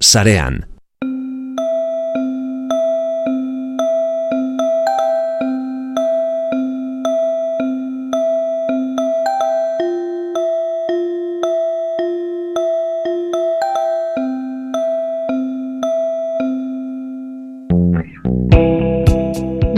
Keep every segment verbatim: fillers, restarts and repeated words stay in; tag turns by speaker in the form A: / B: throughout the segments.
A: sarean.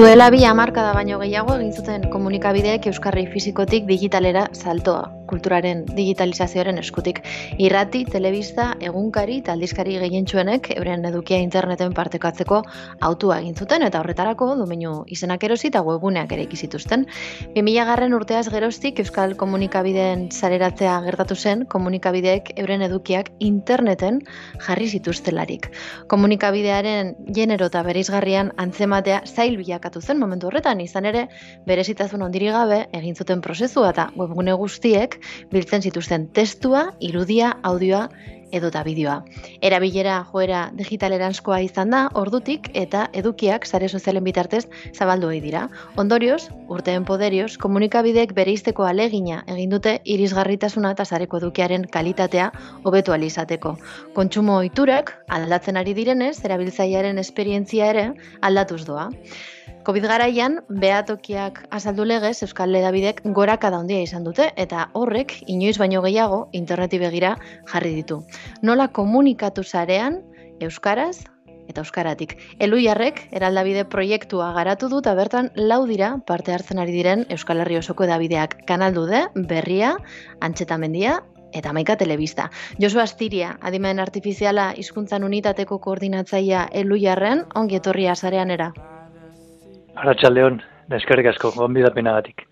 B: Duela bi hamarkada baino gehiago egin zuten komunikabideek euskarri fisikotik digitalera saltoa, kulturaren digitalizazioaren eskutik. Irrati, telebista, egunkari eta aldizkari gehientsuenek euren edukia interneten partekatzeko autua egin zuten eta horretarako domeinu izenak erosi eta webguneak ere zituzten. bi mila garren urteaz geroztik euskal komunikabideen sareratzea gertatu zen komunikabideek euren edukiak interneten jarri zituztelarik. Komunikabidearen genero eta bereizgarrian antzematea zail bilakatu zen momentu horretan, izan ere berezitasun handirik gabe egin zuten prozesua eta webgune guztiek biltzen zituzten testua, irudia, audioa edota bideoa. Erabilera joera digitaleranzkoa izan da ordutik eta edukiak sare sozialen bitartez zabaldu ohi dira. Ondorioz, urteen poderioz, komunikabideek bereizteko alegina egin dute irisgarritasuna eta sareko edukiaren kalitatea hobetu ahal izateko. Kontsumo ohiturak aldatzen ari direnez, erabiltzailearen esperientzia ere aldatuz doa. Covid garaian, behatokiak azaldu legez Euskal Hedabidek gorakada handia izan dute eta horrek inoiz baino gehiago interneti begira jarri ditu. Nola komunikatu sarean euskaraz eta euskaratik. Eluiarrek eraldabide proiektua garatu du eta bertan lau dira parte hartzen ari diren Euskal Herri osoko hedabideak. Kanaldude, Berria, Antxetamendia eta Hamaika Telebista. Josu Astiria, adimen artifiziala hizkuntzan unitateko koordinatzailea Eluiarren, ongi etorria sareanera.
C: Arratsaldeon, eskerrik asko gonbidapenagatik.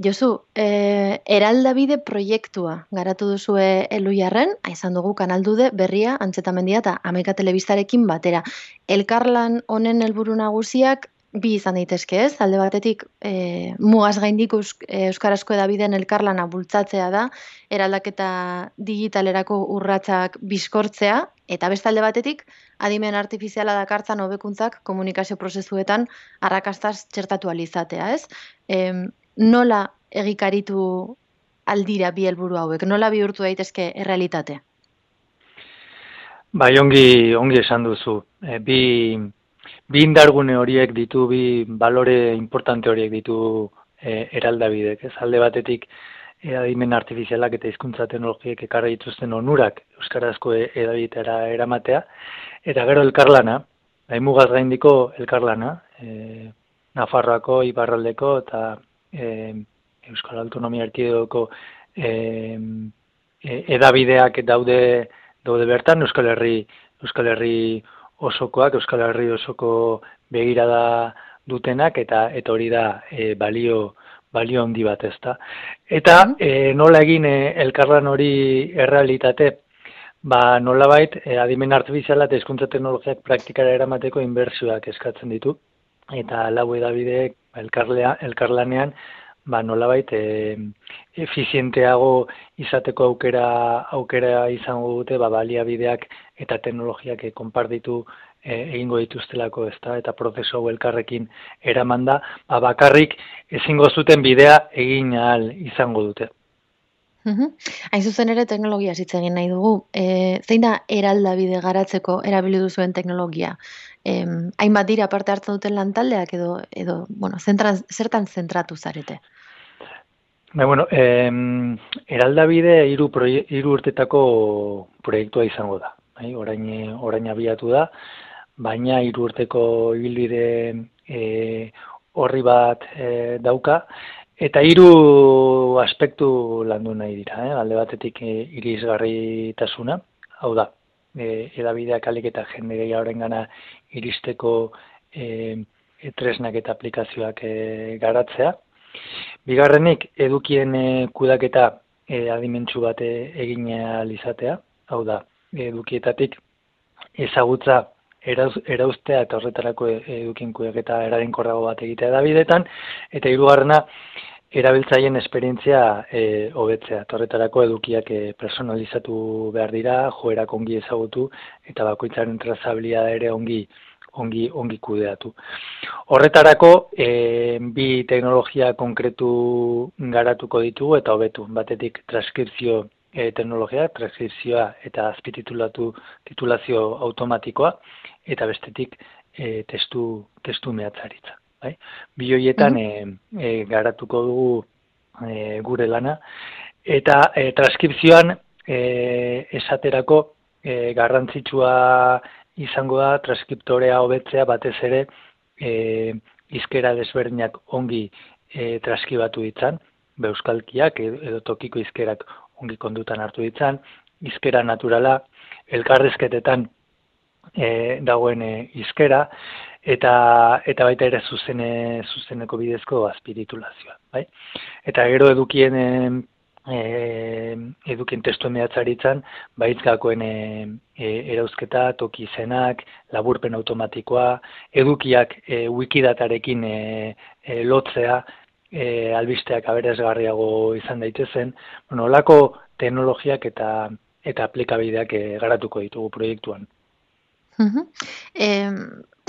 B: Josu, eh, eraldabide proiektua garatu duzue Eluiarren, izan dugu Kanaldude, Berria, Antxetamendia eta Hamaika Telebistarekin batera. Elkarlan honen helburu nagusiak bi izan daitezke, ez? Alde batetik, eh, mugaz gaindik euskarazko hedabideen elkarlana bultzatzea da, eraldaketa digitalerako urratsak bizkortzea, eta beste alde batetik, adimen artifiziala dakartzan hobekuntzak komunikazio prozesuetan arrakastaz txertatu ahal izatea, ez? E, nola egikaritu aldira bi helburu hauek? Nola bihurtu daitezke errealitate?
C: Bai, ongi, ongi esan duzu. E, bi, bi indargune horiek ditu, bi balore importante horiek ditu e, eraldabidek. Ez alde batetik, e, adimen artifizialak eta hizkuntza teknologiek ekarri dituzten onurak euskarazko hedabidetara eramatea, eta gero elkarlana, mugaz gaindiko elkarlana, e, Nafarroako, Iparraldeko eta e, Euskal Autonomia Erkidegoko e, e, hedabideak daude daude bertan, Euskal Herri Euskal Herri osokoak, Euskal Herri osoko begirada dutenak, eta eta hori da e, balio balio handi bat, ezta. Eta e, nola egin e, elkarlan hori errealitate? Ba, nolabait, e, adimen artifiziala eta hizkuntza teknologiak praktikara eramateko inbertsioak eskatzen ditu. Eta lau hedabideek elkarlea, elkarlanean, ba, nolabait, e, efizienteago izateko aukera aukera izango dute, ba, baliabideak eta teknologiak e, konpartitu e, egingo dituztelako, ezta, eta prozesu hau elkarrekin eramanda, ba, bakarrik ezingo zuten bidea egin ahal izango dute.
B: Uhum. Hain zuzen ere teknologia hitz egin nahi dugu. E, zein da eraldabide garatzeko erabili duzuen teknologia? E, hainbat dira parte hartzen duten lantaldeak edo, edo bueno, zentran, zertan zentratu zarete?
C: Ba, bueno, eh, eraldabide hiru proie, hiru urtetako proiektua izango da. Bai, orain, orain abiatu da, baina hiru urteko ibilbide eh, horri bat eh, dauka. Eta hiru aspektu landu nahi dira, eh? Alde batetik e, irisgarritasuna, hau da, e, hedabideak alik eta jende gehiagorengana iristeko e, e, tresnak eta aplikazioak e, garatzea. Bigarrenik, edukien e, kudaketa e, adimentsu bat e, egin ahal izatea, hau da, edukietatik ezagutza erauz, erauztea eta horretarako edukien kudaketa eraginkorrago bat egitea hedabideetan, eta hirugarrena, erabiltzaileen esperientzia e, hobetzea. Horretarako edukiak e, personalizatu behar dira, joerak ongi ezagutu eta bakoitzaren trazabilidadea ere ongi ongi ongi kudeatu. Horretarako e, bi teknologia konkretu garatuko ditugu eta hobetu. Batetik transkripzio e, teknologia, transkripzioa eta azpititulatu titulazio automatikoa, eta bestetik e, testu, testu mehatzaritza. Bai? Bi horietan mm-hmm. e, e, garatuko dugu e, gure lana, eta e, transkripzioan e, esaterako e, garrantzitsua izango da transkriptorea hobetzea batez ere e, hizkera desberdinak ongi e, transkribatu ditzan, euskalkiak edo tokiko hizkerak ongi kondutan hartu ditzan, hizkera naturala, elkarrizketetan e, dagoen hizkera, eta eta baita ere zuzene, zuzeneko bidezko azpititulazioa. Bai? Eta gero edukien e, edukien testu mehatzaritzan, baitzgakoen e, e, erauzketa, toki izenak, laburpen automatikoa, edukiak e, wikidatarekin e, e, lotzea, E, albisteak aberasgarriago izan daitezen, bueno, olako teknologiak eta eta aplikabideak e, garatuko ditugu proiektuan.
B: Uh-huh. E,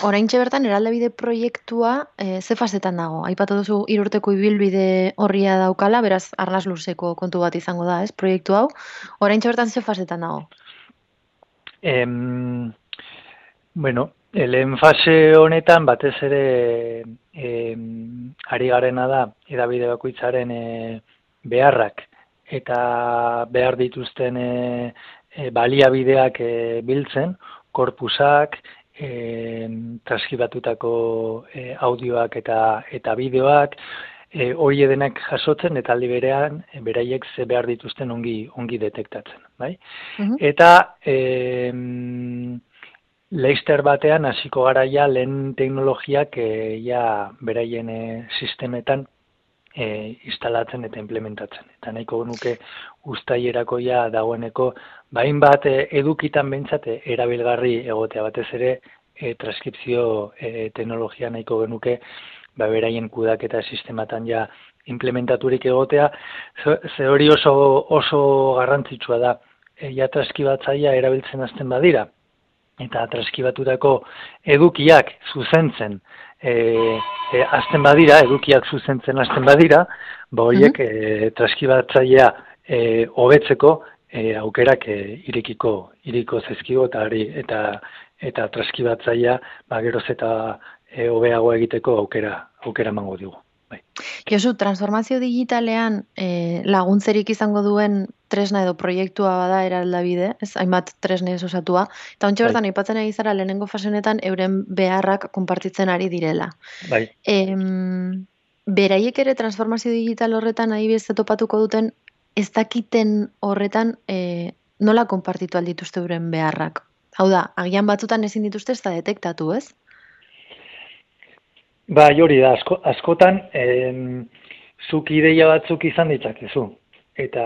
B: oraintxe bertan eraldabide proiektua e, ze fasetan dago? Aipatu duzu hiru urteko ibilbide horria daukala, beraz arnas luzeko kontu bat izango da, ez? Proiektu hau. Oraintxe bertan ze fasetan dago?
C: Em, bueno, lehen fase honetan batez ere e, ari garena da hedabide bakoitzaren e, beharrak eta behar dituzten e, e, baliabideak e, biltzen, korpusak, e, transkribatutako e, audioak eta eta bideoak, e, hori edenak jasotzen eta aldi berean e, beraiek ze behar dituzten ongi ongi detektatzen, bai? Uh-huh. Eta e, Leister batean hasiko garaia lehen teknologiak e, ja beraien e, sistemetan e, instalatzen eta implementatzen. Eta nahiko genuke uztailerako ja dagoeneko bain bat e, edukitan behintzat e, erabilgarri egotea batez ere e, transkripzio e, teknologia nahiko genuke ba, beraien kudaketa sistematan ja implementaturik egotea. Ze hori oso, oso garrantzitsua da. E, ja transkribatzailea erabiltzen hasten badira. Eta transkribatutako edukiak zuzentzen e, e, azten badira, edukiak zuzentzen azten badira, ba horiek e, transkribatzailea e, hobetzeko e, aukerak e, irekiko, iriko zezkigo eta eta eta transkribatzailea ba geroz eta e, hobeago egiteko aukera aukera emango digu. Bai.
B: Josu, transformazio digitalean e, laguntzerik izango duen tresna edo proiektua bada eraldabide, ez hainbat tresnez osatua, eta ontsa bertan aipatzen ari zara lehenengo fasenetan euren beharrak konpartitzen ari direla.
C: Bai.
B: E, beraiek ere transformazio digital horretan adibidez topatuko duten ez dakiten horretan e, nola konpartitu aldituzte euren beharrak. Hau da, agian batzutan ezin dituzte ez da detektatu, ez?
C: Ba, hori da, asko, askotan, em, zuk ideia batzuk izan ditzakezu. Eta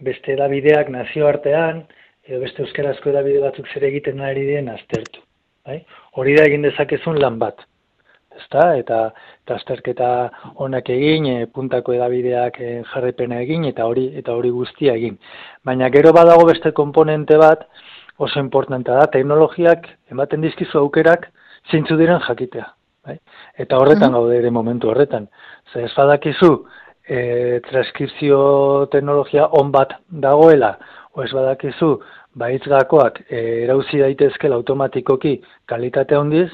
C: beste edabideak nazioartean, edo beste euskarazko edabide batzuk zer egiten ari diren aztertu. Bai? Hori da egin dezakezun lan bat. Ezta? Eta, eta azterketa onak egin, e, puntako edabideak e, jarripena egin, eta hori eta hori guztia egin. Baina gero badago beste komponente bat, oso importantea da, teknologiak ematen dizkizu aukerak zeintzu diren jakitea. Bai? Eta horretan mm-hmm. gaude ere momentu horretan. Zer ez badakizu, e, transkripzio teknologia on bat dagoela, o ez badakizu, baitzgakoak e, erauzi daitezkela automatikoki kalitate handiz,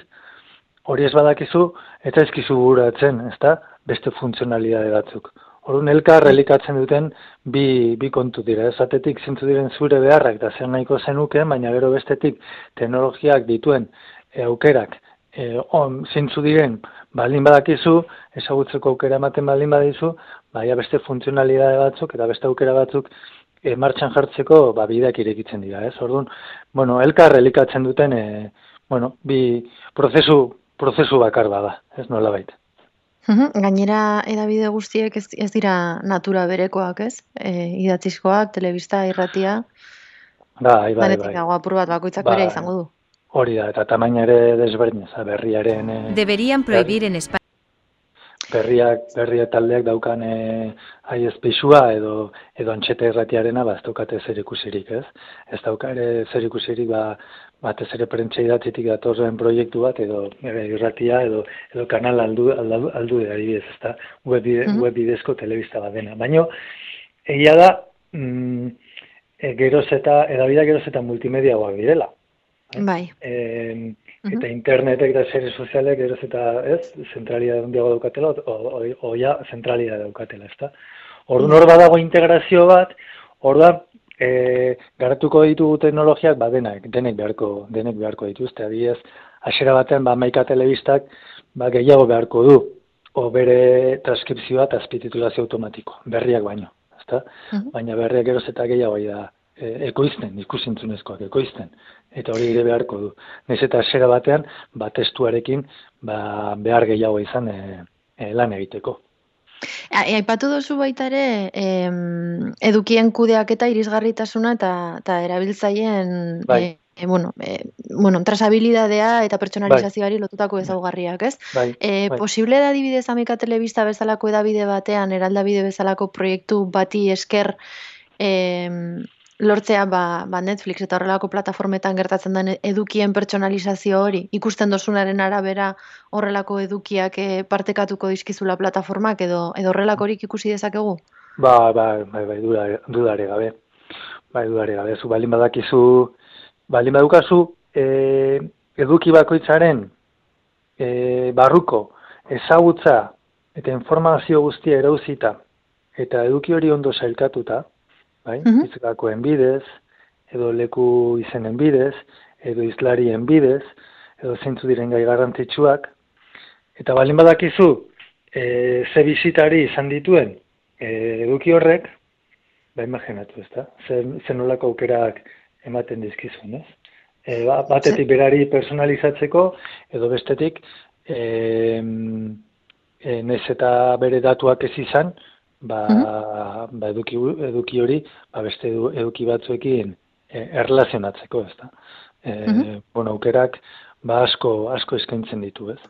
C: hori ez badakizu, eta ezkizu buratzen, ezta? Beste funtzionalidade batzuk. Orduan elkar elikatzen duten bi, bi kontu dira. Ezatetik zintzu diren zure beharrak da zer nahiko zenuken, baina gero bestetik teknologiak dituen e, aukerak e, on, zintzu diren baldin badakizu, ezagutzeko aukera ematen baldin badizu, baina beste funtzionalidade batzuk eta beste aukera batzuk e, martxan jartzeko ba, bideak irekitzen dira. Ez? Orduan, bueno, elkar elikatzen duten e, bueno, bi prozesu, prozesu bakar bada, ez nola baita.
B: Gainera edabide guztiek ez, ez dira natura berekoak, ez? E, idatzizkoak, telebista, irratia.
C: Bai, bai,
B: bai. Dago apur bat bakoitzak
C: ba,
B: bere izango du.
C: Hori da, eta tamaina ere desberdin, berriaren... E,
A: Deberían prohibir en España.
C: Berriak, berria taldeak daukan e, aiespixua edo edo antxeta irratiarena ba ez daukate zer ikusirik, ez? Ez dauka ere zer ikusirik ba batez ere prentsa idatzitik datorren proiektu bat edo irratia edo edo kanal aldu aldu, aldu adibidez, ezta? Web, bide, mm-hmm. web bidezko telebista bat dena. Baina egia da mm, e, geroz eta, edabida geroz eta multimediagoak direla. Eh?
B: Bai.
C: E, eta uh-huh. internetek eta sare sozialek geroz eta, ez, zentralidade handiago daukatela, o, o, o ja, zentralidade daukatela, ezta? Orduan hor badago integrazio bat, orduan, e, garatuko ditugu teknologiak, ba, denak, denek beharko, denek beharko dituzte, adibidez, hasiera batean, ba, Hamaika telebistak, ba, gehiago beharko du, o bere transkripzioa eta azpititulazio automatiko, berriak baino, ezta? Uh-huh. Baina berriak geroz eta gehiago da, e, ekoizten, ikusintzunezkoak ekoizten, eta hori ere beharko du. Naiz eta hasiera batean, ba, testuarekin, ba, behar gehiago izan e, e, lan egiteko.
B: Aipatu duzu baita ere, em, edukien kudeaketa irisgarritasuna eta, eta erabiltzaileen bai. e, bueno, e, bueno, trazabilidadea eta pertsonalizazioari bai. Lotutako ezaugarriak, ez?
C: Bai.
B: E,
C: Bai.
B: Posible da adibidez Hamaika telebista bezalako edabide batean, eraldabide bezalako proiektu bati esker em, lortzea ba, ba Netflix eta horrelako plataformetan gertatzen den edukien pertsonalizazio hori, ikusten dozunaren arabera horrelako edukiak e, partekatuko dizkizula plataformak edo edo horrelakorik ikusi dezakegu?
C: Ba, ba, bai, bai, dudare gabe. Bai, dudare gabe. Zu balin badakizu, balin badukazu, e, eduki bakoitzaren e, barruko ezagutza eta informazio guztia erauzita eta eduki hori ondo sailkatuta, bai? Uh-huh. Hitzakoen bidez, edo leku izenen bidez, edo izlarien bidez, edo zeintzu diren gai garrantzitsuak, eta balin badakizu, e, ze bizitari izan dituen e, eduki horrek, ba imaginatu, ezta? Zen, zen nolako aukerak ematen dizkizun, ez? E, ba, batetik berari personalizatzeko, edo bestetik, e, e, nez eta bere datuak ez izan, ba, uh-huh. ba eduki, eduki hori ba beste edu, eduki batzuekin e, erlazionatzeko, ezta. E, uh-huh. Bueno, aukerak ba asko asko eskaintzen ditu, ez?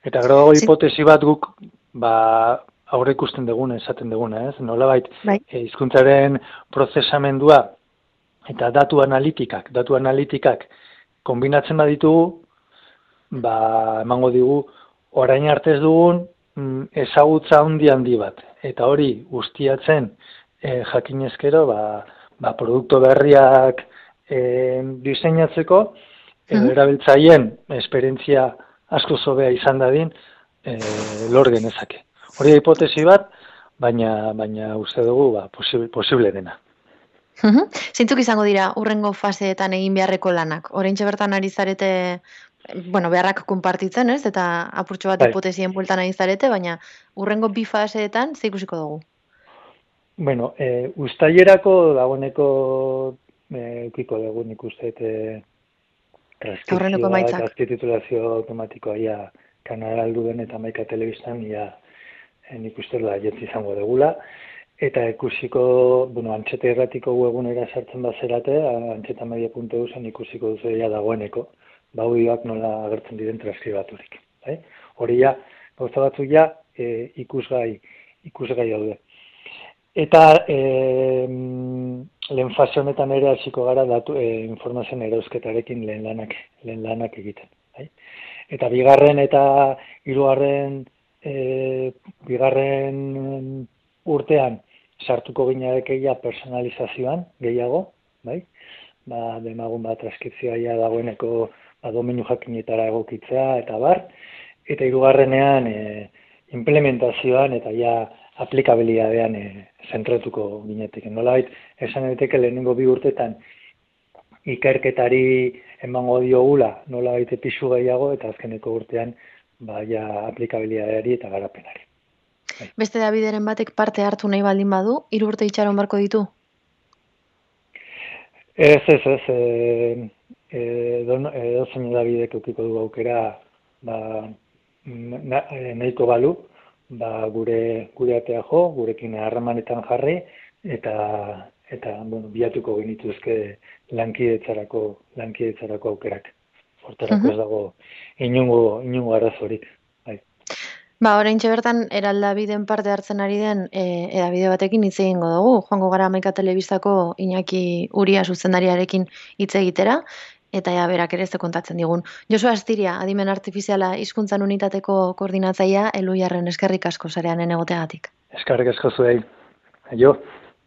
C: Eta gero dago hipotesi bat guk ba aurre ikusten duguna, esaten duguna, ez? Nolabait hizkuntzaren prozesamendua eta datu analitikak, datu analitikak konbinatzen baditugu, ba emango digu orain arte ez dugun ezagutza handi handi bat. Eta hori guztiatzen e, jakinezkero, ba, ba produktu berriak e, diseinatzeko, edo uh-huh. erabiltzaileen esperientzia asko zobea izan dadin, e, lor genezake. Hori da hipotesi bat, baina baina uste dugu ba, posible, posible dena.
B: Uh-huh. Zeintzuk izango dira urrengo faseetan egin beharreko lanak? Oraintxe bertan ari zarete bueno, beharrak konpartitzen, ez? Eta apurtxo bat bai. Hipotesien bueltan ari zarete, baina urrengo bi faseetan ze ikusiko dugu?
C: Bueno, e, uztailerako dagoeneko ukiko dugu nik uste e, transkripzioa eta azpititulazio automatikoa ia kanal alduden eta Hamaika telebistan ia e, nik uste da jetzi izango dugula. Eta ikusiko, bueno, Antxeta Irratiko webgunera sartzen bazerate, antxetamedia puntu eus ikusiko duzu ja dagoeneko. Baudioak nola agertzen diren transkribaturik. Bai? Hori ja, gauza batzuk ja, e, ikusgai, ikusgai daude. Eta e, lehen fase honetan ere hasiko gara datu e, informazioen erauzketarekin lehen lanak, lehen lanak egiten. Bai? Eta bigarren eta hirugarren e, bigarren urtean sartuko ginarekeia personalizazioan gehiago, bai? Ba, demagun bat transkripzioa ja dagoeneko ba, domeinu jakinetara egokitzea eta bar, eta hirugarrenean e, implementazioan eta ja aplikabilidadean e, zentratuko ginetik. Nolabait, esan daiteke lehenengo bi urtetan ikerketari emango diogula nolabait pisu gehiago eta azkeneko urtean ba, ja aplikabilidadeari eta garapenari. Bai.
B: Beste Davideren batek parte hartu nahi baldin badu, hiru urte itxaron barko ditu?
C: Ez, ez, ez. E, e, don, e, dozen Davidek eukiko du aukera ba, na, nahiko balu, ba, gure, gure atea jo, gurekin harremanetan jarri, eta, eta bueno, biatuko genituzke lankidetzarako, lankidetzarako aukerak. Hortarako uh-huh. ez dago inungo, inungo arazorik.
B: Ba, oraintxe bertan, eraldabideen parte hartzen ari den e, edabide batekin hitz egingo dugu. Joango gara Hamaika telebistako Iñaki Uria zuzendariarekin hitz egitera, eta ja berak ere ze kontatzen digun. Josu Astiria, adimen artifiziala hizkuntzan unitateko koordinatzailea, Elhuyarren eskerrik asko sareanen egoteagatik.
C: Eskerrik asko zuei. Aio.